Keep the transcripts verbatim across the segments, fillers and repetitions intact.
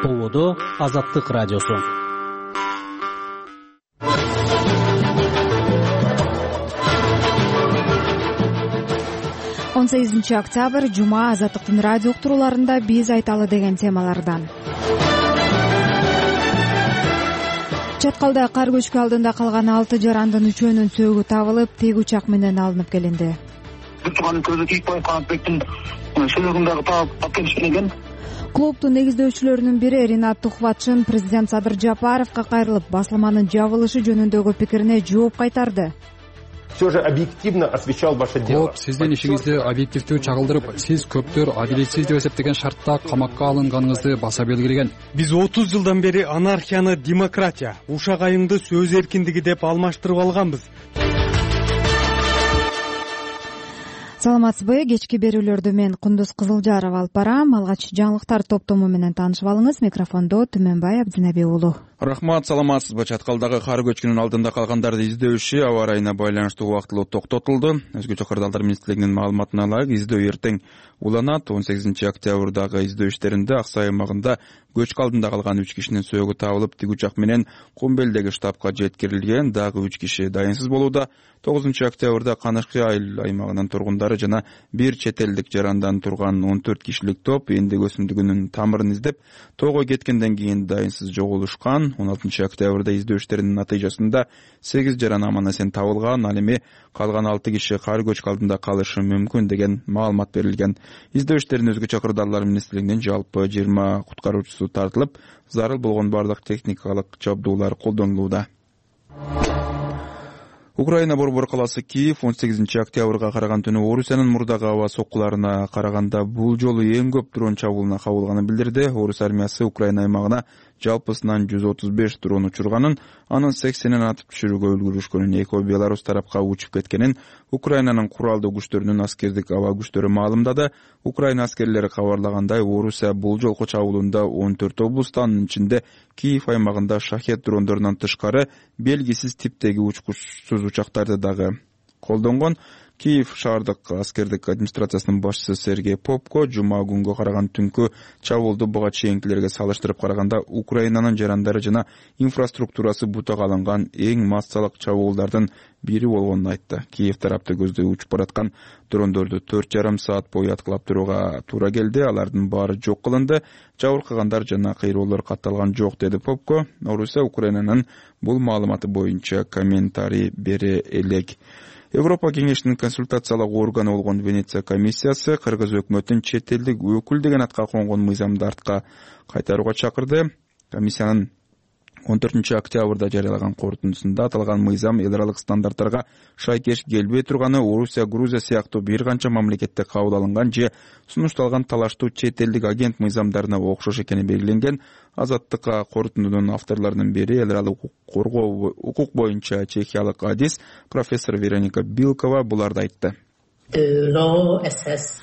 Поводо Азаттык радиосу. он сегизинчи октябрь жума Азаттыктын радио уктурууларында биз айталы деген темалардан. Чаткалда кар көчкү алдында калган алты жарандын үчөөнүн сөөгү табылып, тег учак менен алынып келинди. Турган көзү Кийикбаев Канатбектин сөөгүндөгү таап алып келишкен экен. Клубдун негиздөөчүлөрүнүн бири Ринат Тухватшин президент Садыр Жапаровго кайрылып, басылманын жабылышы жөнүндөгү пикирине жооп кайтарды. Все же объективно освещал ваше дело. Клуб сиздин ишиңизди объективдүү чагылдырып, сиз көптөр адилетсиз деп эсептеген шартта камакка алынганыңызды баса белгилеген. Биз отуз жылдан бери анархияны демократия, ушак айымды сөз эркиндиги деп алмаштырып алганбыз. Саламатсызбы? Кечки берүүлөрдү мен Кундуз Кызылжаров алып барам. Алгач жаңылыктар топтому менен таанышып алыңыз. Микрофондо Түмөнбай Абдинаби уулу. Рахмат, саламатсызбы? Чаткалдагы кар көчкүнүн алдында калгандарды издөө иши аба ырайына байланыштуу убактылуу токтотулду. Өзгөчө Кырдаалдар министрлигинин маалыматына ылайык, издөө эртең уланат. он сегизинчи октябрдагы издөө иштеринде Ак Сай аймагында көчкү алдында калган үч кишинин сөөгү табылып, тиг учак менен Кумбелдеги штабка жеткирилген. Дагы үч киши дайынсыз болууда. тогузунчу октябрда Канышкы айыл аймагынын тургундары жана бир чет элдик жарандан турган он төрт кишилик топ эндик өсүмдүгүнүн тамырын издеп, тоого кеткенден кийин дайынсыз жоголушкан. он алтынчы октябрда издөө иштеринин натыйжасында сегиз жаран аман-эсен табылган. Ал эми калган алты киши кар көчкү алдында калышы мүмкүн деген маалымат берилген. Издөө иштерин өзгөчө Кырдаалдар министрлигинин жалпы жыйырма куткаруучусу тартылып, зарыл болгон бардык техникалык жабдуулар колдонулууда. Украина борбор калаасы Киев он сегизинчи октябрга караган түнү Орусиянын мурдагы аба соккуларына караганда бул жолу эң көп дрон чабуулуна кабылганын билдирди. Орус армиясы Украина аймагына жалпысынан жүз отуз беш дрон учурганын, анын сексенин атып түшүрүүгө үлгүрүшкөнүн, экөө Беларусь тарапка учуп кеткенин Украинанын куралдуу күчтөрүнүн аскердик аба күчтөрү маалымдады. Украина аскерлери кабарлагандай, Орусия бул жолку чабуулунда он төрт облустан, анын ичинде Киев аймагында шахет дрондорунан тышкары белгисиз типтеги учкучсуз учактарды дагы колдонгон. Киев шаардык аскердик администрациясынын башчысы Сергей Попко жума күнгө караган түнкү чабуулду буга чейинкилерге салыштырып караганда Украинанын жарандары жана инфраструктурасы бутага алынган эң массалык чабуулдардын бири болгонун айтты. Киев тарапты көздөй учуп бараткан дрондорду төрт жарым саат бою аткылап турууга туура келди. Алардын баары жок кылынды. Жабыркагандар жана кыйроолор катталган жок, деди Попко. Орусия Украинанын бул маалыматы боюнча комментарий бере элек. Европа кеңешинин консультациялык органы болгон Венеция комиссиясы Кыргыз өкмөтүн чет элдик өкүл деген атка конгон мыйзамды артка кайтарууга чакырды. Комиссиянын он төртүнчү октябрда жарыялаган корутундусунда аталган мыйзам эл аралык стандарттарга шайкеш келбей турганы, Орусия, Грузия сыяктуу бир канча мамлекетте кабыл алынган же сунушталган талаштуу чет элдик агент мыйзамдарына окшош экени белгиленген. Азаттыкка корутундунун авторлорунун бири эл аралык коргоо укук боюнча чехиялык адис профессор Вероника Билкова буларды айтты.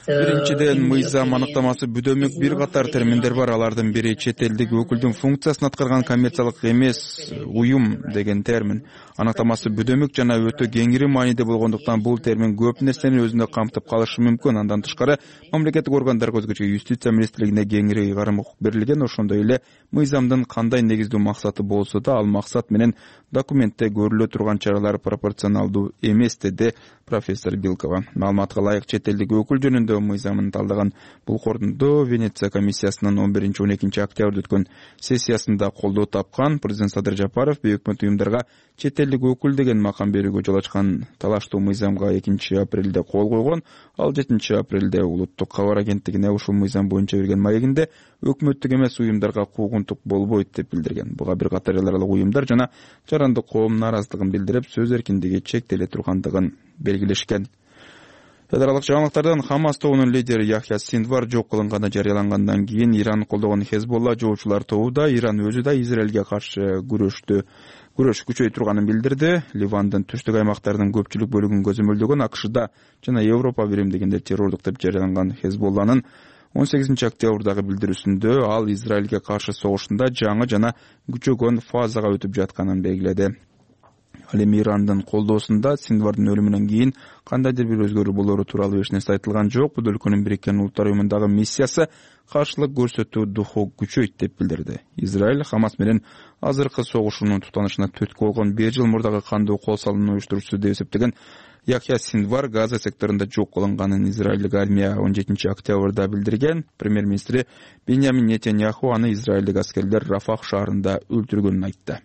Биринчиден, мыйзам аныктамасы бүдөмүк бир катар терминдер бар. Алардын бири чет элдик өкүлдүн функциясын аткарган коммерциялык эмес уюм деген термин. Аныктамасы бүдөмүк жана өтө кеңири мааниде болгондуктан бул термин көп нерсени өзүндө камтып калышы мүмкүн. Андан тышкары мамлекеттик органдарга, өзгөчө юстиция министрлигине кеңири ыйгарым укук берилген. Ошондой эле мыйзамдын кандай негиздүү максаты болсо да, ал максат менен документте көрүлө турган чаралар пропорционалдуу эмес, деди профессор Билкова. Маалыматка ылайык, чет элдик өкүл жөнүндө мыйзамын талдаган бул корутунду Венеция комиссиясынын он биринчи он экинчи октябрда өткөн сессиясында колдоо тапкан. Президент Садыр Жапаров бейөкмөт уюмдарга чет элдик өкүл деген макам берүүгө жол ачкан талаштуу мыйзамга экинчи апрелде кол койгон. Ал жетинчи апрелде улуттук кабар агенттигине ушул мыйзам боюнча берген маегинде өкмөттүк эмес уюмдарга куугунтук болбойт деп билдирген. Буга бир катар эл аралык уюмдар жана жарандык коом нааразычылыгын билдирип, сөз эркиндиги чектеле тургандыгын белгилешкен. Эл аралык жаңылыктардан Хамас тобунун лидери Яхья Синдвар жок кылынганы жарыялангандан кийин Иран колдогон Хезболла жоочулар тобу да Иран өзү да Израилге каршы күрөштү күрөш күчөй турганын билдирди. Ливандын түштүк аймактарынын көпчүлүк бөлүгүн көзөмөлдөгөн АКШда жана Европа биримдигинде террордук деп жарыяланган Хезболланын он сегизинчи октябрдагы билдирүүсүндө ал Израилге каршы согушунда жаңы жана күчөгөн фазага өтүп жатканын белгиледи. Ал эми Ирандын колдоосунда Синдвардын өлүмүнөн кийин кандайдыр бир өзгөрүү болору тууралуу эч нерсе айтылган жок. Бул өлкөнүн Бириккен Улуттар уюмундагы миссиясы каршылык көрсөтүү духу күчөйт деп билдирди. Израиль Хамас менен азыркы согушуунун туктанышына түрткү болгон беш жыл мурдагы кандуу кол салууну уюштуруучусу деп эсептеген Яхья Синдвар Газа секторунда жок кылынганын Израилдик армия он жетинчи октябрда билдирген. Премьер-министри Беньямин Нетаньяху аны израилдик аскерлер Рафах шаарында өлтүргөнүн айтты.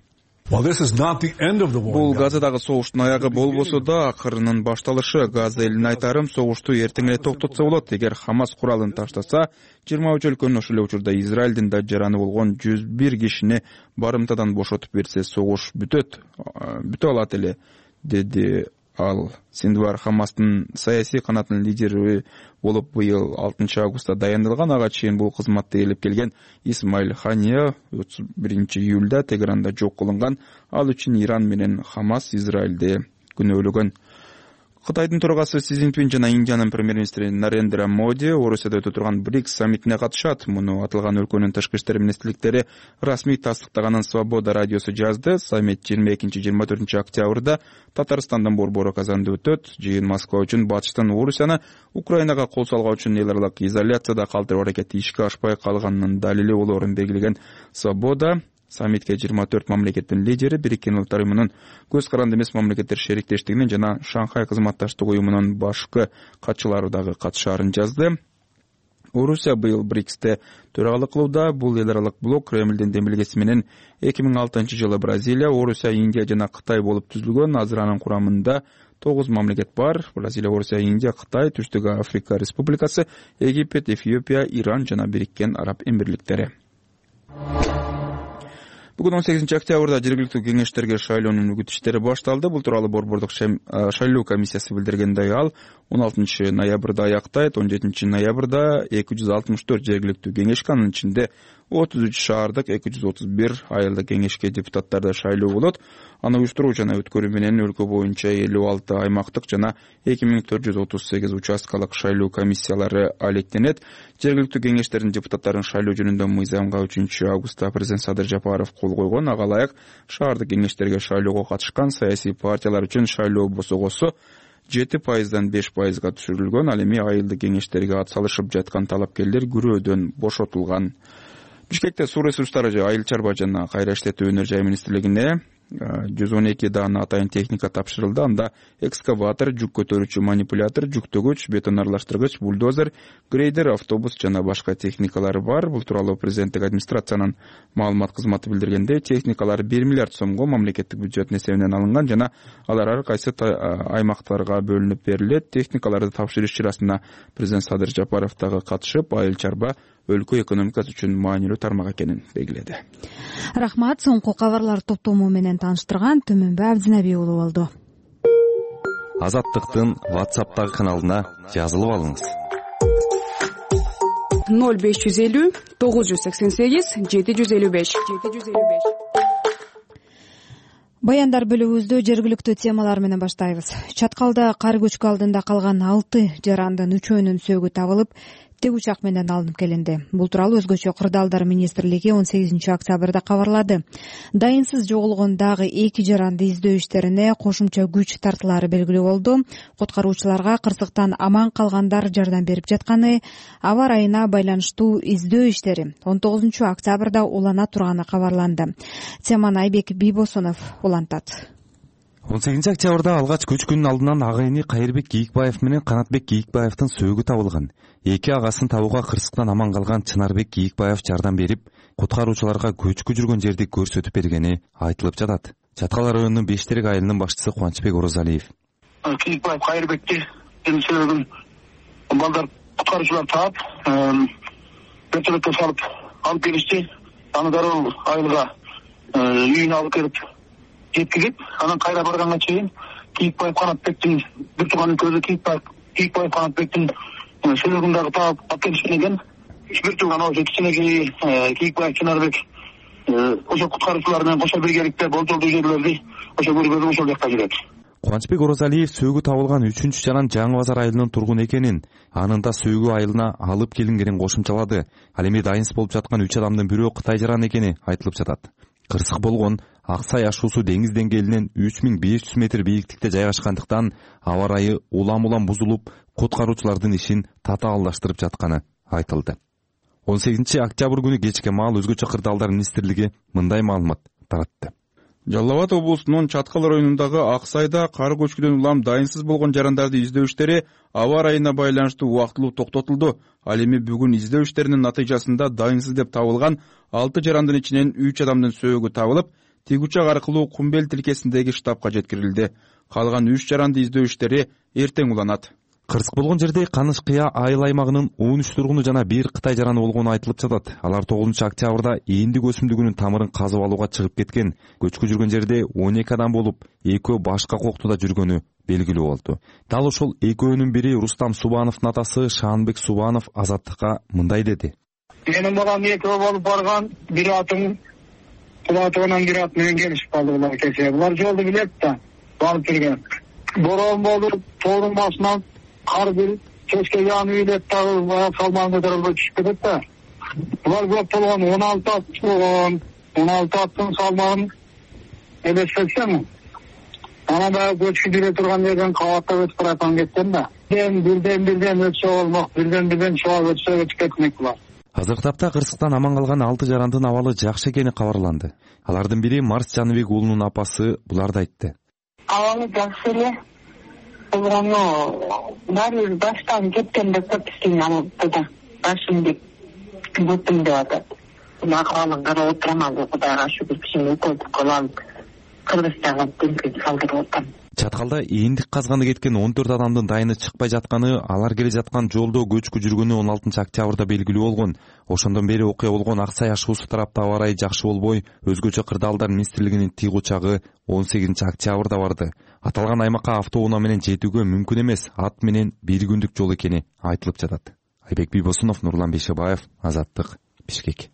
Бул Газадагы согуштун аягы болбосо да акырынын башталышы. Газа элине айтарым, согушту эртең эле токтотсо болот. Эгер Хамас куралын таштаса, жыйырма үч өлкөнүн ошол эле учурда Израилдин да жараны болгон жүз бир кишини барымтадан бошотуп берсе, согуш бүтөт, бүтө алат эле, деди ал. Синдвар Хамастын саясий канатынын лидери болуп быйыл алтынчы августта дайындалган. Ага чейин бул кызматты ээлеп келген Исмаил Хания отуз биринчи июлда Тегеранда жок кылынган. Ал үчүн Иран менен Хамас Израилди күнөөлөгөн. Кытайдын төрагасы Си Цзиньпин жана Индиянын премьер-министри Нарендра Моди Орусияда өтө турган БРИКС саммитине катышат. Муну аталган өлкөнүн тышкы иштер министрликтери расмий тастыктаганын Свобода радиосу жазды. Саммит жыйырма экинчи жыйырма төртүнчү октябрда Татарстандын борбору Казанда өтөт. Жыйын Москва үчүн батыштан Орусияны Украинага кол салган үчүн эл аралык изоляцияда калтыруу аракети ишке ашпай калганынын далили болоорун белгилеген Свобода саммитке жыйырма төрт мамлекеттин лидери, Бириккен Улуттар уюмунун көз каранды эмес мамлекеттер шериктештигинин жана Шанхай кызматташтык уюмунун башкы катчылары дагы катышаарын жазды. Орусия быйыл БРИКСте төрагалык кылууда. Бул эл аралык блок Кремлдин демилгеси менен эки миң алтынчы жылы Бразилия, Орусия, Индия жана Кытай болуп түзүлгөн. Азыр анын курамында тогуз мамлекет бар. Бразилия, Орусия, Индия, Кытай, Түштүк Африка Республикасы, Египет, Эфиопия, Иран жана Бириккен Араб Эмирликтери. Бүгүн он сегизинчи октябрда жергиликтүү кеңештерге шайлоонун үгүт иштери башталды. Бул тууралуу борбордук шайлоо комиссиясы билдиргендей, ал он алтынчы ноябрда аяктайт. он жетинчи ноябрда эки жүз алтымыш төрт жергиликтүү кеңешке, анын ичинде отуз үч шаардык, эки жүз отуз бир айылдык кеңешке депутаттарды шайлоо болот. Аны уюштуруу жана өткөрүү менен өлкө боюнча элүү алты аймактык жана эки миң төрт жүз отуз сегиз участкалык шайлоо комиссиялары алектенет. Жергиликтүү кеңештердин депутаттарын шайлоо жөнүндө мыйзамга үчүнчү августта президент Садыр Жапаров кол койгон. Ага ылайык шаардык кеңештерге шайлоого катышкан саясий партиялар үчүн шайлоо босогосу жети пайыздан беш пайызга түшүрүлгөн. Ал эми айылдык кеңештерге ат салышып жаткан талапкерлер күрөөдөн бошотулган. Бишкекте суу ресурстары, айыл чарба жана кайра иштетүү өнөр жай министрлигине жүз он эки даана атайын техника тапшырылды. Анда экскаватор, жүк көтөрүүчү манипулятор, жүктөгүч, бетон аралаштыргыч, бульдозер, грейдер, автобус жана башка техникалар бар. Бул тууралуу президенттик администрациянын маалымат кызматы билдиргендей, техникалар бир миллиард сомго мамлекеттик бюджеттин эсебинен алынган жана алар ар кайсы аймактарга бөлүнүп берилет. Техникаларды тапшырыш чарасына президент Садыр Жапаров дагы катышып, айыл чарба өлкө экономикасы үчүн маанилүү тармак экенин белгиледи. Рахмат. Соңку кабарлар топтому менен тааныштырган Төмөнбай Абдинабий уулу болду. Азаттыктын WhatsApp'тагы каналына жазылып алыңыз. ноль беш жүз элүү тогуз жүз сексен сегиз жети жүз элүү беш. Баяндар бөлүгүбүздө жергиликтүү темалар менен баштайбыз. Чаткалда кар көчкү алдында калган алты жарандын үчөөнүн сөөгү табылып, тек учак менен алынып келинди. Бул тууралуу өзгөчө кырдаалдар министрлиги он сегизинчи октябрда кабарлады. Дайынсыз жоголгон дагы эки жаранды издөө иштерине кошумча күч тартылары белгилүү болду. Куткаруучуларга кырсыктан аман калгандар жардам берип жатканы, аба ырайына байланыштуу издөө иштери он тогузунчу октябрда улана турганы кабарланды. Теманы Айбек Бийбосунов улантат. он сегизинчи октябрда алгач көчкүнүн алдынан ага эни Кайырбек Кийикбаев менен Канатбек Кийикбаевдин сөөгү табылган. Эки агасын табууга кырсыктан аман калган Чынарбек Кийикбаев жардам берип, куткаруучуларга көчкү жүргөн жерди көрсөтүп бергени айтылып жатат. Чаткал районунун Бештерек айылынын башчысы Кубанычбек Орозалиев. Кийикбаев Кайырбекти сөөгүн балдар куткаруучулар таап, вертолетке салып алып келишти. Аны дароо айылга үйүнө алып келип жеткизип, анан кайра барганга чейин Кийикбаев Канатбектин бир тууганын көзү Кийикбаев Кийикбаев Канатбектин сөөгүн дагы таап алып келишкен экен. Бир тууган ошо кичинекей Кийикбаев Чынарбек ошо куткаруучулар менен кошо биргеликте болжолдуу жерлерди ошо көргөзүп ошол жакка жүрөт. Кубанычбек Орозалиев сөөгү табылган үчүнчү жаран Жаңы Базар айылынын тургуну экенин, анын да сөөгү айылына алып келингенин кошумчалады. Ал эми дайынсыз болуп жаткан үч адамдын бирөө Кытай жараны экени айтылып жатат. Кырсык болгон Ак Сай ашуусу деңиз деңгээлинен үч миң беш жүз метр бийиктикте жайгашкандыктан аба ырайы улам-улам бузулуп, куткаруучулардын ишин татаалдаштырып жатканы айтылды. он сегизинчи октябрь күнү кечке маал өзгөчө кырдаалдар министрлиги мындай маалымат таратты. Жалал Абад облусунун Чаткал районундагы Ак Сайда кар көчкүдөн улам дайынсыз болгон жарандарды издөө иштери аба ырайына байланыштуу убактылуу токтотулду. Ал эми бүгүн издөө иштеринин натыйжасында дайынсыз деп табылган алты жарандын ичинен үч адамдын сөөгү табылып, тик учак аркылуу Кумбел тилкесиндеги штабка жеткирилди. Калган үч жаранды издөө иштери эртең уланат. Кырсык болгон жерде Каныш Кыя айыл аймагынын он үч тургуну жана бир Кытай жараны болгону айтылып жатат. Алар тогузунчу октябрда эндик өсүмдүгүнүн тамырын казып алууга чыгып кеткен. Көчкү жүргөн жерде он эки адам болуп, экөө башка коктуда жүргөнү белгилүү болду. Дал ошол экөөнүн бири Рустам Субановдун атасы Шаанбек Субанов Азаттыкка мындай деди. Менин балам экөө болуп барган, бир атым Кулатыгынан бир ат менен келишип калды булар кечээ. Булар жолду билет да, барып жүргөн. Борон болуп, тоонун башынан кар бир кечке яны үйлөп дагы салман көтөрүлбөй түшүп кетет да. Булар көп болгон он алты ат болгон. он алты аттын салмагын элестетсем, анан дагы көчкү жүрө турган жерден кабаттап өтүп бараткан кеткен да. Бирден бирден өтсө болмок, бирден бирден чыга өтсө өтүп кетмек булар. Азыркы тапта кырсыктан аман калган алты жарандын абалы жакшы экени кабарланды. Алардын бири Марс Жаныбек уулунун апасы буларды айтты. Абалы жакшы эле. Болгону баары баштан кеткенде көп кийин алды да. Башым деп бүтүм деп атат. Акыбалын карап отурам, ал Кудайга шүгүр кишини өтөп калып, Кыргызстанга теңкип калтырып отам. Чаткалда эндик казганы кеткен он төрт адамдын дайыны чыкпай жатканы, алар келе жаткан жолдо көчкү жүргөнү он алтынчы октябрда белгилүү болгон. Ошондон бери окуя болгон Ак Сай ашуусу тарапта аба ырайы жакшы болбой, өзгөчө кырдаалдар министрлигинин тик учагы он сегизинчи октябрда барды. Аталган аймакка автоунаа менен жетүүгө мүмкүн эмес, ат менен бир күндүк жол экени айтылып жатат. Айбек Бийбосунов, Нурлан Бейшебаев, Азаттык, Бишкек.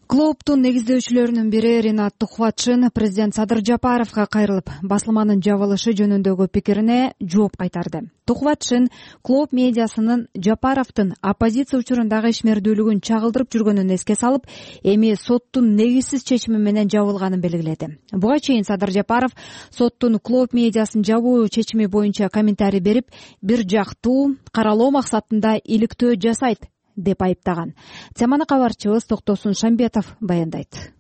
Клооптун негиздөөчүлөрүнүн бири Ринат Тухватшин президент Садыр Жапаровго кайрылып, басылманын жабылышы жөнүндөгү пикирине жооп кайтарды. Тухватшин Клооп медиасынын Жапаровдун оппозиция учурундагы ишмердүүлүгүн чагылдырып жүргөнүн эске салып, эми соттун негизсиз чечими менен жабылганын белгиледи. Буга чейин Садыр Жапаров соттун Клооп медиасын жабуу чечими боюнча комментарий берип, бир жактуу каралоо максатында иликтөө жасайт деп айыптаган. Теманы кабарчыбыз Токтосун Шамбетов баяндайт.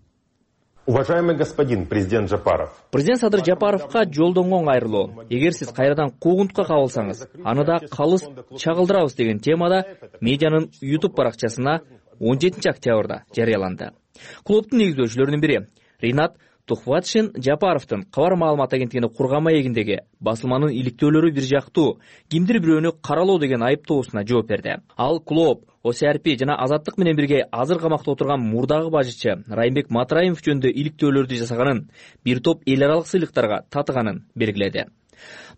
Уважаемый господин президент Жапаров. Президент Садыр Жапаровга жолдонгон кайрылуу. Эгер сиз кайрадан куугунтукка кабылсаңыз, аны да калыс чагылдырабыз деген темада медианын YouTube баракчасына он жетинчи октябрда жарыяланды. Клооптун негиздөөчүлөрүнүн бири Ринат Тухватшин Жапаровдун кабар маалымат агенттигине курган маегиндеги басылманын иликтөөлөрү бир жактуу, кимдир бирөөнү каралоо деген айыптоосуна жооп берди. Ал Клооп, О С Р П жана Азаттык менен бирге азыр камакта отурган мурдагы бажычы Райымбек Матраимов жөнүндө иликтөөлөрдү жасаганын, бир топ эл аралык сыйлыктарга татыганын белгиледи.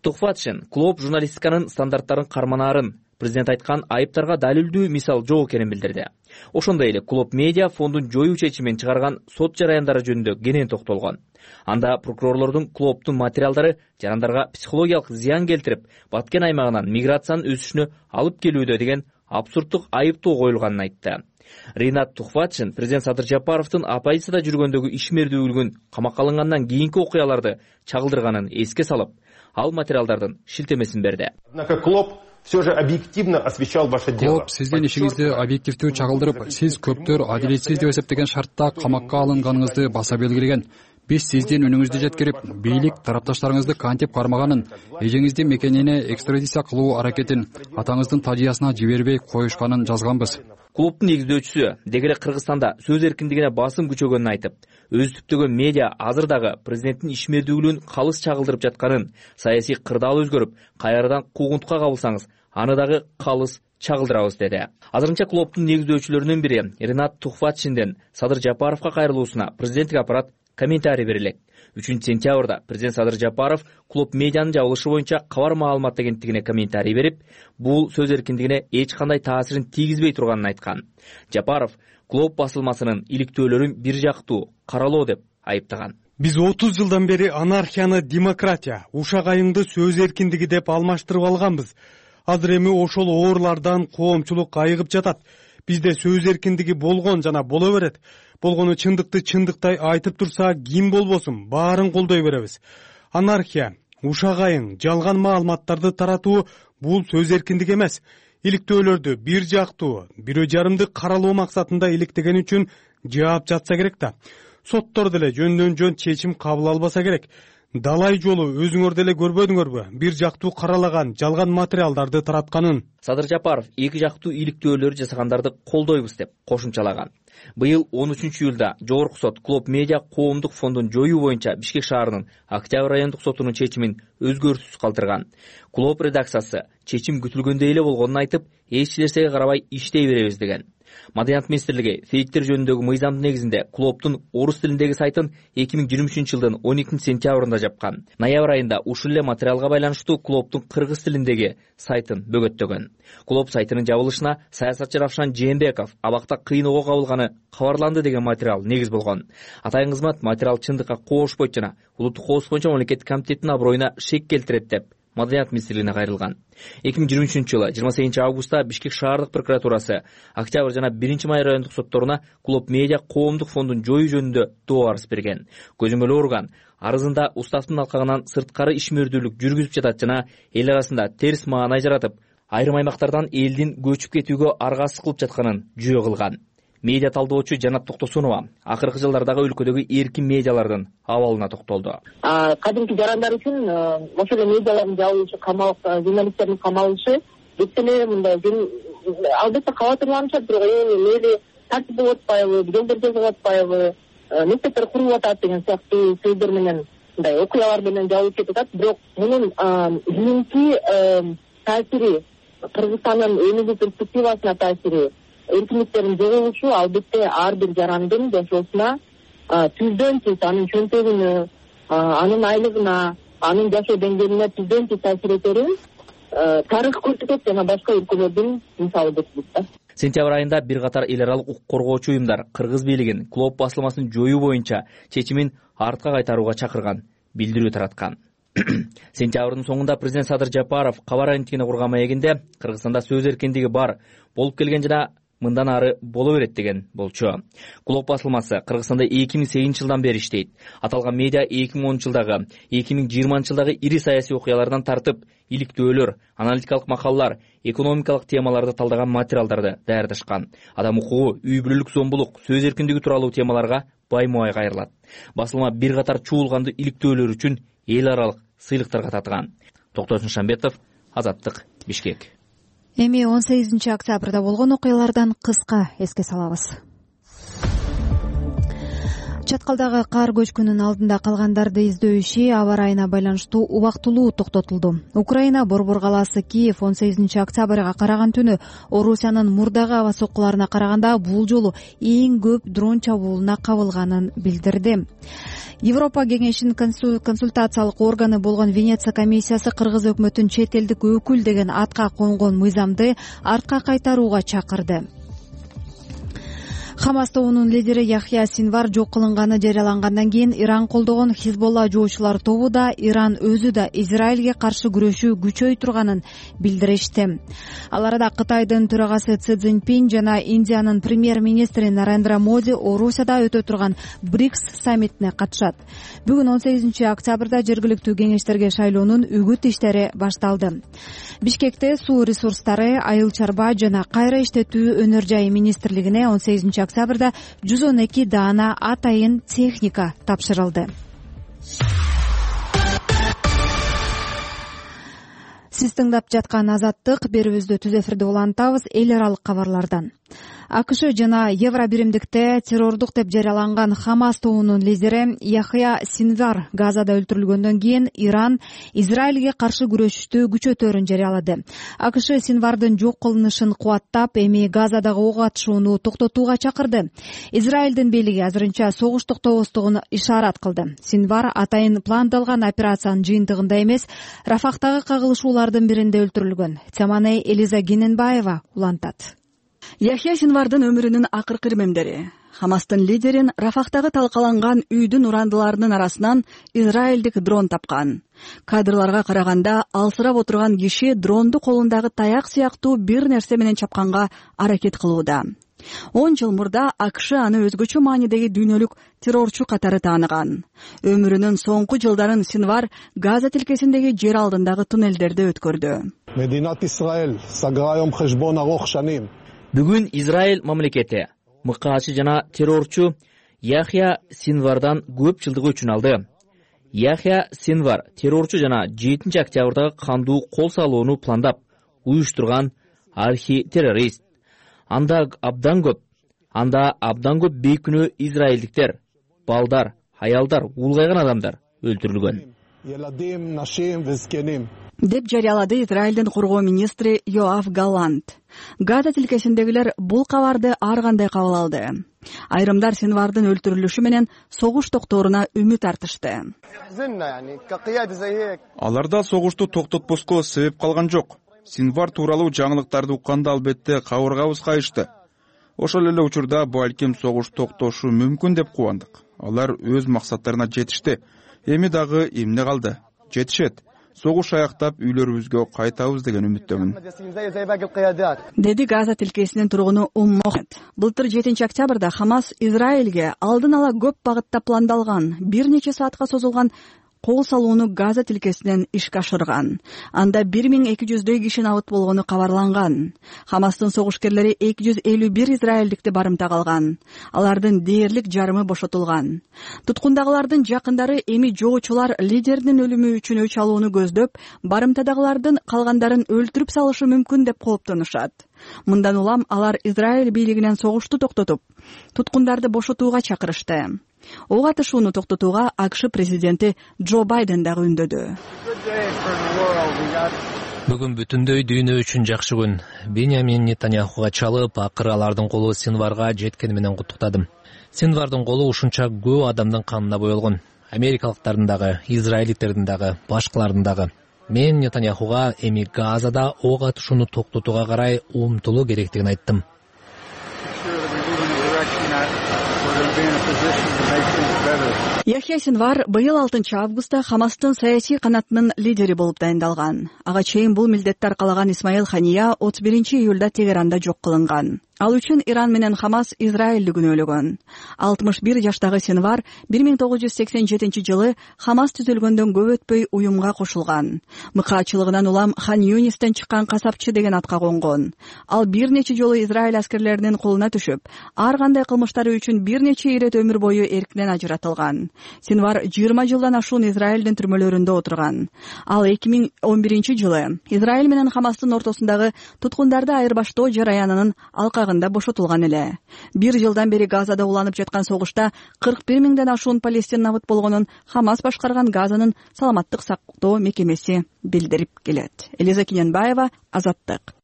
Тухватшин Клооп журналистиканын стандарттарын карманаарын, президент айткан айыптарга далилдүү мисал жок экенин билдирди. Ошондой эле Клооп медиа фондун жоюу чечимин чыгарган сот жараяндары жөнүндө кенен токтолгон. Анда прокурорлордун Клооптун материалдары жарандарга психологиялык зыян келтирип, Баткен аймагынан миграциянын өсүшүнө алып келүүдө деген абсурдтук айыптоо коюлганын айтты. Ринат Тухватшин президент Садыр Жапаровдун оппозицияда жүргөндөгү ишмердүүлүгүн, камакка алынгандан кийинки окуяларды чагылдырганын эске салып, ал материалдардын шилтемесин берди. Однако Клоп все же объективно освещал ваше дело. Клооп сиздин ишиңизди объективдүү чагылдырып, сиз көптөр адилетсиз деп эсептеген шартта камакка алынганыңызды баса белгилеген. Биз сиздин үнүңүздү жеткирип, бийлик тарапташтарыңызды кантип кармаганын, эжеңиздин мекенине экстрадиция кылуу аракетин атаңыздын тажыясына жибербей коюшканын жазганбыз. Клооптун негиздөөчүсү деги эле Кыргызстанда сөз эркиндигине басым күчөгөнүн айтып, өзү түптөгөн медиа азыр дагы президенттин ишмердүүлүгүн калыс чагылдырып жатканын, саясий кырдаал өзгөрүп, кайрадан куугунтукка кабылсаңыз, аны дагы калыс чагылдырабыз деди. Азырынча Клооптун негиздөөчүлөрүнүн бири Ринат Тухватшинден Садыр Жапаровго кайрылуусуна президенттик аппарат комментарий берилет. үчүнчү сентябрда президент Садыр Жапаров Клооп медианын жабылышы боюнча кабар маалымат агенттигине комментарий берип, бул сөз эркиндигине эч кандай таасирин тийгизбей турганын айткан. Жапаров Клооп басылмасынын иликтөөлөрүн бир жактуу каралоо деп айыптаган. Биз отуз жылдан бери анархияны демократия, ушак айымды сөз эркиндиги деп алмаштырып алганбыз. Азыр эми ошол оорлардан коомчулук айыгып жатат. Бизде сөз эркиндиги болгон жана боло берет. Болгону чындыкты чындыктай айтып турса, ким болбосун баарын колдой беребиз. Анархия, ушак айың, жалган маалыматтарды таратуу бул сөз эркиндиги эмес. Иликтөөлөрдү бир жактуу, бирөө жарымды каралоо максатында иликтеген үчүн жаап жатса керек да. Соттор деле жөндөн жөн чечим кабыл албаса керек. Далай жолу өзүңөр деле көрбөдүңөрбү бир жактуу каралаган жалган материалдарды таратканын? Садыр Жапаров эки жактуу иликтөөлөр жасагандарды колдойбуз деп кошумчалаган. Быйыл он үчүнчү июлда Жогорку сот Клоп Медиа коомдук фондун жоюу боюнча Бишкек шаарынын Октябрь райондук сотунун чечимин өзгөрүүсүз калтырган. Клоп редакциясы чечим күтүлгөндөй эле болгонун айтып, эч нерсеге карабай иштей беребиз деген. Маданият министрлиги фейктер жөнүндөгү мыйзамдын негизинде Клоптун орус тилиндеги сайтын эки миң жыйырма үчүнчү жылдын он экинчи сентябрында жапкан. Ноябрь айында ушул эле материалга байланыштуу Клоптун кыргыз тилиндеги сайтын бөгөттөгөн. Клоп сайтынын жабылышына саясатчы Равшан Жээнбеков абакта кыйын ого кабылганы кабарланды деген материал негиз болгон. Атайын кызмат материал чындыкка коошпойт жана улуттук коопсуздук боюнча мамлекеттик комитеттин аброюна шек келтирет деп Маданият министрлигине кайрылган. эки миң жыйырма үчүнчү жылы жыйырма сегизинчи августта Бишкек шаардык прокуратурасы Октябрь жана биринчи май райондук сотторуна Клоп Медиа коомдук фондун жоюу жөнүндө доо арыз берген. Көзөмөл орган арызында уставдын алкагынан сырткары ишмердүүлүк жүргүзүп жатат жана эл арасында терс маанай жаратып, айрым аймактардан элдин көчүп кетүүгө аргасыз кылып жатканын жүйө кылган. Медиа талдоочу Жанат Токтосунова акыркы жылдардагы өлкөдөгү эркин медиалардын абалына токтолду. Кадимки жарандар үчүн ошол эле медиалардын жабылышы, камалып, журналисттердин камалышы бек эле мындай албетте кабатырланышат, бирок эми тартип болуп атпайбы, жолдор жасап атпайбы, мектептер куруп атат деген сыяктуу сөздөр менен мындай окуялар менен жабылып кетип атат. Бирок мунун жийинки таасири, Кыргызстандын өнүгүү перспективасына таасири, эркиндиктердин жоголушу албетте ар бир жарандын жашоосуна түздөн түз анын чөнтөгүнө, анын айлыгына, анын жашоо деңгээлине түздөн түз таасир этерин тарых көрсөтөт жана башка өлкөлөрдүн мисалы кетти да. Сентябрь айында бир катар эл аралык укук коргоочу уюмдар кыргыз бийлигин Клоп басылмасын жоюу боюнча чечимин артка кайтарууга чакырган, билдирүү тараткан. Сентябрдын соңунда президент Садыр Жапаров кабар агенттигине курган маегинде Кыргызстанда сөз эркиндиги бар, болуп келген жана мындан ары боло берет деген болчу. Клоп басылмасы Кыргызстанда эки миң сегизинчи жылдан бери иштейт. Аталган медиа эки миң онунчу жылдагы, эки миң жыйырманчы жылдагы ири саясий окуялардан тартып, иликтөөлөр, аналитикалык макалалар, экономикалык темаларды талдаган материалдарды даярдашкан. Адам укугу, үй бүлөлүк зомбулук, сөз эркиндиги тууралуу темаларга баймубай кайрылат. Басылма бир катар чуулганды иликтөөлөр үчүн эл аралык сыйлыктарга татыган. Токтосун Шамбетов, Азаттык, Бишкек. Эми он сегизинчи октябрда болгон окуялардан кыска эске салабыз. Чаткалдагы кар көчкүнүнүн алдында калгандарды издөө иши аба ырайына байланыштуу убактылуу токтотулду. Украина борбор калаасы Киев он сегизинчи октябрга караган түнү Орусиянын мурдагы аба соккуларына караганда бул жолу эң көп дрон чабуулуна кабылганын билдирди. Европа кеңешинин консультациялык органы болгон Венеция комиссиясы Кыргыз өкмөтүн чет элдик өкүл деген атка конгон мыйзамды артка кайтарууга чакырды. Хамас тобунун лидери Яхья Синвар жок кылынганы жарыялангандан кийин Иран колдогон Хизболла жоочулар тобу да Иран өзү да Израилге каршы күрөшүү күчөй турганын билдиришти. Ал арада Кытайдын төрагасы Си Цзиньпин жана Индиянын премьер-министри Нарендра Моди Орусияда өтө турган БРИКС саммитине катышат. Бүгүн он сегизинчи октябрда жергиликтүү кеңештерге шайлоонун үгүт иштери башталды. Бишкекте суу ресурстары, айыл чарба жана кайра иштетүү өнөр жайы министрлигине он сегизинчи октябрда жүз он эки даана атайын техника тапшырылды. Сиз тыңдап жаткан Азаттык берүүбүздү түз эфирде улантабыз. Эл аралык кабарлардан. АКШ жана Евробиримдикте террордук деп жарыяланган Хамас тобунун лидери Яхья Синвар Газада өлтүрүлгөндөн кийин Иран Израилге каршы күрөшүштү күчөтөөрүн жарыялады. АКШ Синвардын жок кылынышын кубаттап, эми Газадагы ок атышууну токтотууга чакырды. Израилдин бийлиги азырынча согуш токтобостугун ишарат кылды. Синвар атайын пландалган операциянын жыйынтыгында эмес, Рафахтагы кагылышуулардын биринде өлтүрүлгөн. Теманей Элиза Гененбаева улантат. Яхья Синвардын өмүрүнүн акыркы ирмемдери. Хамастын лидерин Рафахтагы талкаланган үйдүн урандыларынын арасынан израилдик дрон тапкан. Кадрларга караганда алсырап отурган киши дронду колундагы таяк сыяктуу бир нерсе менен чапканга аракет кылууда. он жыл мурда АКШ аны өзгөчө маанидеги дүйнөлүк террорчу катары тааныган. Өмүрүнүн соңку жылдарын Синвар Газа тилкесиндеги жер алдындагы туннелдерде өткөрдү. Бүгүн Израиль мамлекети мыкаачы жана террорчу Яхья Синвардан көп жылдык өчүн алды. Яхья Синвар террорчу жана жетинчи октябрдагы кандуу кол салууну пландап, уюштурган архи-террорист. Анда абдан көп, анда абдан көп бейкүнөө израилдиктер, балдар, аялдар, улгайган адамдар өлтүрүлгөн. Деп жарыялады Израилдин коргоо министри Йоав Галлант. Газа тилкесиндегилер бул кабарды ар кандай кабыл алды. Айрымдар Синвардын өлтүрүлүшү менен согуш токтооруна үмүт артышты. Аларда согушту токтотпоско себеп калган жок. Синвар тууралуу жаңылыктарды укканда албетте кабыргабыз кайышты. Ошол эле учурда балким согуш токтошу мүмкүн деп кубандык. Алар өз максаттарына жетишти. Эми дагы эмне калды? Жетишет. Согуш аяктап үйлөрүбүзгө кайтабыз деген үмүттөмүн. Деди Газа тилкесинин тургуну Уммохет. Былтыр жетинчи октябрда Хамас Израилге алдын ала көп багытта пландалган бир нече саатка созулган кол салууну Газа тилкесинен ишке ашырган. Анда бир миң эки жүздөй киши набыт болгону кабарланган. Хамастын согушкерлери эки жүз элүү бир израилдикти барымтага алган. Алардын дээрлик жарымы бошотулган. Туткундагылардын жакындары эми жоочулар лидердин өлүмү үчүн өч алууну көздөп, барымтадагылардын калгандарын өлтүрүп салышы мүмкүн деп кооптонушат. Мындан улам алар Израиль бийлигинен согушту токтотуп, туткундарды бошотууга чакырышты. Ок атышууну токтотууга АКШ президенти Джо Байден дагы үндөдү. Бүгүн бүтүндөй дүйнө үчүн жакшы күн. Беньямин Нетаньяхуга чалып, акыры алардын колу Синварга жеткени менен куттуктадым. Синвардын колу ушунча көп адамдын канына боелгон. Америкалыктардын дагы, израилдиктердин дагы, башкалардын дагы. Мен Нетаньяхуга эми Газада ок атышууну токтотууга карай умтулуу керектигин айттым. Яхья Синвар быйыл алтынчы августта Хамастын саясий канатынын лидери болуп дайындалган. Ага чейин бул милдетти аркалаган Исмаил Хания отуз биринчи июлда Тегеранда жок кылынган. Ал үчүн Иран менен Хамас Израилди күнөөлөгөн. алтымыш бир жаштагы Синвар бир миң тогуз жүз сексен жетинчи жылы Хамас түзүлгөндөн көп өтпөй уюмга кошулган. Мыкаачылыгынан улам Хан Юнистен чыккан касапчы деген атка конгон. Ал бир нече жолу Израиль аскерлеринин колуна түшүп, ар кандай кылмыштары үчүн бир нече ирет өмүр бою эркинен ажыратылган. Синвар жыйырма жылдан ашуун Израилдин түрмөлөрүндө отурган. Ал эки миң он биринчи жылы Израиль менен Хамастын ортосундагы туткундарды айырбаштоо жараянынын алкагында бошотулган эле. Бир жылдан бери Газада уланып жаткан согушта кырк бир миңден ашуун палестин набыт болгонун Хамас башкарган Газанын саламаттык сактоо мекемеси билдирип келет. Элиза Киненбаева, Азаттык.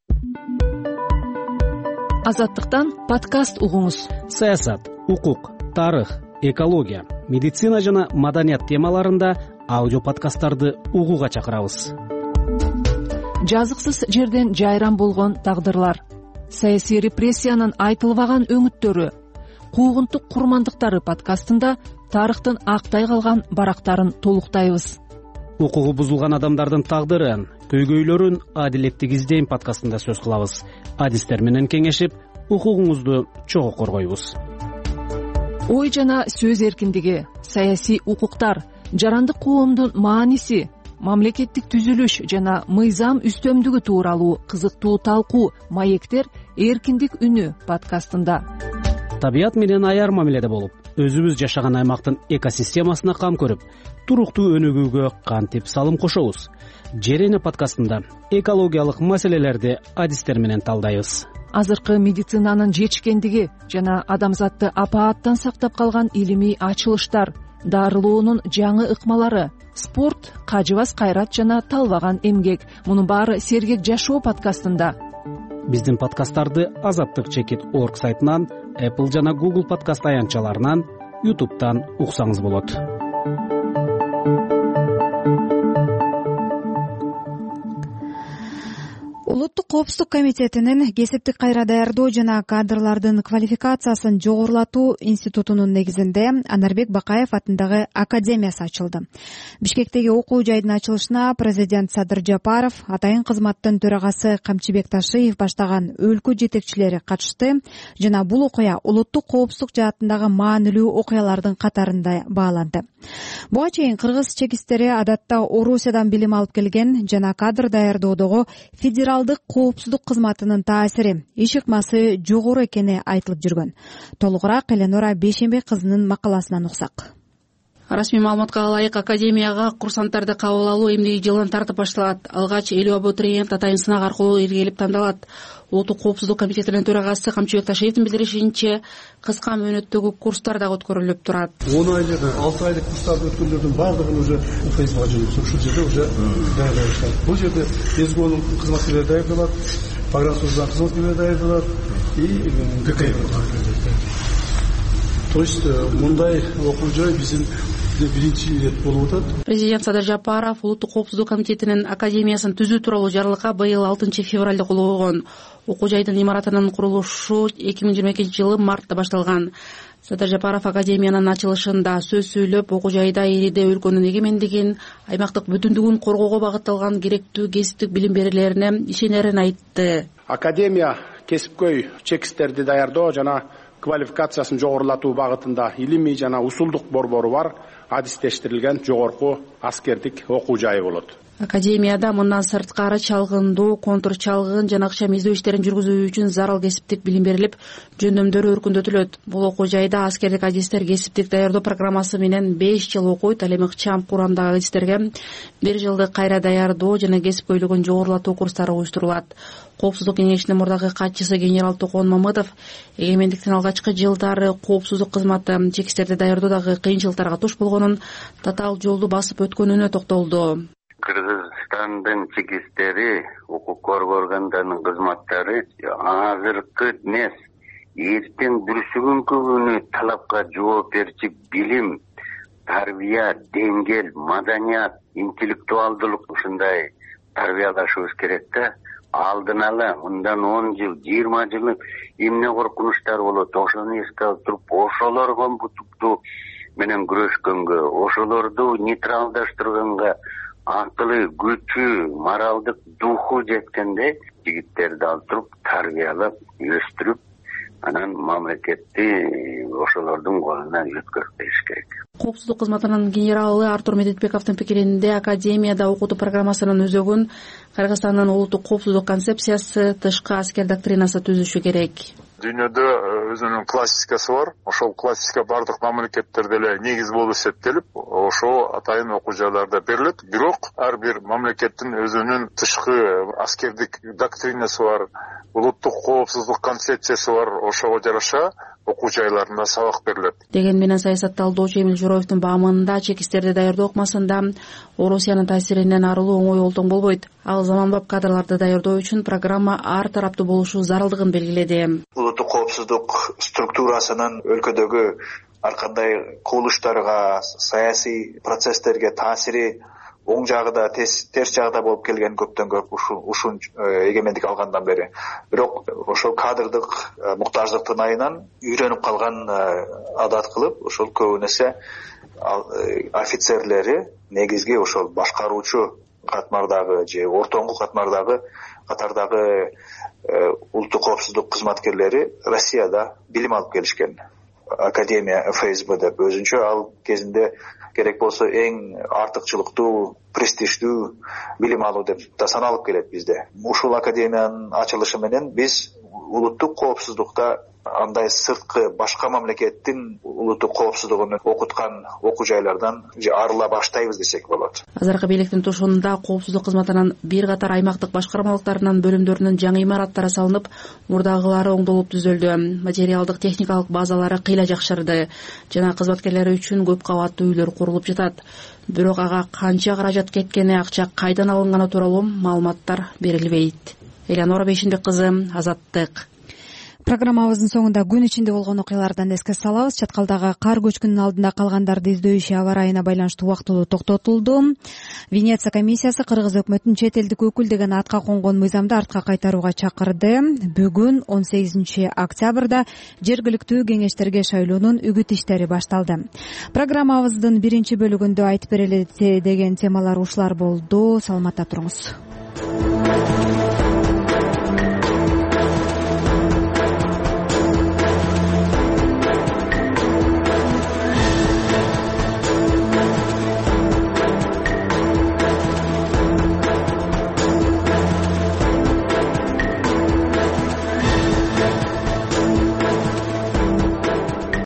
Азаттыктан подкаст угуңуз. Саясат, укук, тарых, экология, медицина жана маданият темаларында аудио подкасттарды угууга чакырабыз. Жазыксыз жерден жайран болгон тагдырлар, саясий репрессиянын айтылбаган өңүттөрү, куугунтук курмандыктары подкастында тарыхтын актай калган барактарын толуктайбыз. Укугу бузулган адамдардын тагдырын, көйгөйлөрүн адилеттик издейм подкастында сөз кылабыз. Адистер менен кеңешип, укугуңузду чогуу коргойбуз. Ой жана сөз эркиндиги, саясий укуктар, жарандык коомдун мааниси, мамлекеттик түзүлүш жана мыйзам үстөмдүгү тууралуу кызыктуу талкуу маектер эркиндик үнү подкастында. Табият менен аяр мамиледе болуп, өзүбүз жашаган аймактын экосистемасына кам көрүп, туруктуу өнүгүүгө кантип салым кошобуз. Жерене подкастында экологиялык маселелерди адистер менен талдайбыз. Азыркы медицинанын жетишкендиги жана адамзатты апааттан сактап калган илимий ачылыштар, дарылоонун жаңы ыкмалары, спорт, кажыбас кайрат жана талбаган эмгек. Мунун баары сергек жашоо подкастында. Биздин подкасттарды Азаттык чекит орг сайтынан, Apple жана Google подкаст аянтчаларынан, YouTube'дан уксаңыз болот. Улуттук коопсуздук комитетинин кесиптик кайра даярдоо жана кадрлардын квалификациясын жогорулатуу институтунун негизинде Анарбек Бакаев атындагы академиясы ачылды. Бишкектеги окуу жайдын ачылышына президент Садыр Жапаров, атайын кызматтын төрагасы Камчыбек Ташиев баштаган өлкө жетекчилери катышты жана бул окуя улуттук коопсуздук жаатындагы маанилүү окуялардын катарында бааланды. Буга чейин кыргыз чекистери адатта Орусиядан билим алып келген жана кадр даярдоодогу федералдык коопсуздук кызматынын таасири, иш ыкмасы жогору экени айтылып жүргөн. Толугураак Эленора Бейшембек кызынын макаласынан уксак. Расмий маалыматка ылайык, академияга курсанттарды кабыл алуу эмдиги жылдан тартып башталат. Алгач элүү абитуриент атайын сынак аркылуу иргелип тандалат. Улуттук коопсуздук комитетинин төрагасы Камчыбек Ташиевдин билдиришинче, кыска мөөнөттөгү курстар дагы өткөрүлүп турат. он айлык, алты айлык курстарды өткөргөндөрдүн баардыгын уже фейсбукка жөнөтүп, ушул жерде уже даярдай башталат. Бул жерде СГОнун кызматкерлери даярдалат, погранслужбанын кызматкерлери даярдалат и ГК. То есть мындай окуу жай биздин биринчи ирет болуп атат. Президент Садыр Жапаров улуттук коопсуздук комитетинин академиясын түзүү тууралуу жарлыкка быйыл алтынчы февралда кол койгон. Окуу жайдын имаратынын курулушу эки миң жыйырма экинчи жылы мартта башталган. Садыр Жапаров академиянын ачылышында сөз сүйлөп, окуу жайда элиде өлкөнүн эгемендигин, аймактык бүтүндүгүн коргоого багытталган керектүү кесиптик билим берүүлөрүнө ишенерин айтты. Академия кесипкөй чекисттерди даярдоо жана квалификациясын жогорулатуу багытында илимий жана усулдук борбору бар адистештирилген жогорку аскердик окуу жайы болот. Академияда мындан сырткары чалгындоо, контур чалгын жана акчам издөө иштерин жүргүзүү үчүн зарыл кесиптик билим берилип, жөндөмдөрү өркүндөтүлөт. Бул окуу жайда аскердик адистер кесиптик даярдоо программасы менен беш жыл окуйт, ал эми ыкчам курамдагы адистерге бир жылдык кайра даярдоо жана кесипкөйлүгүн жогорулатуу курстары уюштурулат. Коопсуздук кеңешинин мурдагы катчысы генерал Токон Мамыдов эгемендиктин алгачкы жылдары коопсуздук кызматы чекистерди даярдоодагы кыйынчылыктарга туш болгонун, татаал жолду басып өткөнүнө токтолду. Кыргызстандын чекистери, укук органдарынын кызматтары азыркы эмес, эртең бүрсүгүнкү күнү талапка жооп берчи билим, тарбия, деңгел, маданият, интеллектуалдылык ушундай тарбиялашыбыз керек да. Алдын ала мындан он жыл, жыйырма жыл эмне коркунучтар болот, ошону эске алып туруп, ошолорго бутукту менен күрөшкөнгө, ошолорду нейтралдаштырганга акылы, күчү, моралдык духу жеткенде жигиттерди алып туруп, тарбиялап, өстүрүп, анан мамлекетти ошолордун колуна өткөрүп бериш керек. Коопсуздук кызматынын генералы Артур Медетбековдун пикиринде, академияда окутуу программасынын өзөгүн Кыргызстандын улуттук коопсуздук концепциясы, тышкы аскер доктринасы түзүшү керек. Дүйнөдө өзүнүн классикасы бар. Ошол классика бардык мамлекеттерде эле негиз болуп эсептелип, ошол атайын окуу жайларда берилет. Бирок ар бир мамлекеттин өзүнүн тышкы аскердик доктринасы бар, улуттук коопсуздук концепциясы бар. Ошого жараша окуу жайларында сабак берилет. Деген менен саясатталдоочу Эмил Журоевдун баамында, чекистерди даярдоо ыкмасында Орусиянын таасиринен арылуу оңой олтоң болбойт. Ал заманбап кадрларды даярдоо үчүн программа ар тараптуу болушу зарылдыгын белгиледи. Улуттук коопсуздук структурасынын өлкөдөгү ар кандай кубулуштарга, саясий процесстерге таасири оң жагы да терс жагы да болуп келген көптөн көп ушул эгемендик алгандан бери. Бирок ошол кадрдык муктаждыктын айынан үйрөнүп калган адат кылып, ошол көбүнесе офицерлери негизги ошол башкаруучу катмардагы же ортоңку катмардагы катардагы улуттук коопсуздук кызматкерлери Россияда билим алып келишкен. Академия эф эс бэ деп өзүнчө ал кезинде керек болсо эң артыкчылыктуу, престиждүү билим алуу деп да саналып келет бизде. Ушул академиянын ачылышы менен биз улуттук коопсуздукта андай сырткы башка мамлекеттин улуттук коопсуздугун окуткан окуу жайлардан арыла баштайбыз десек болот. Азыркы бийликтин тушунда коопсуздук кызматынын бир катар аймактык башкармалыктарынын бөлүмдөрүнүн жаңы имараттары салынып, мурдагылары оңдолуп түзөлдү. Материалдык техникалык базалары кыйла жакшырды жана кызматкерлери үчүн көп кабаттуу үйлөр курулуп жатат. Бирок ага канча каражат кеткени, акча кайдан алынганы тууралуу маалыматтар берилбейт. Эленора Бейшембек кызы, Азаттык. Программабыздын соңунда күн ичинде болгон окуялардан эске салабыз. Чаткалдагы кар көчкүнүнүн алдында калгандарды издөө иши аба ырайына байланыштуу убактылуу токтотулду. Венеция комиссиясы Кыргыз өкмөтүн чет элдик өкүл деген атка конгон мыйзамды артка кайтарууга чакырды. Бүгүн он сегизинчи октябрда жергиликтүү кеңештерге шайлоонун үгүт иштери башталды. Программабыздын биринчи бөлүгүндө айтып берели деген темалар ушулар болду. Саламатта туруңуз.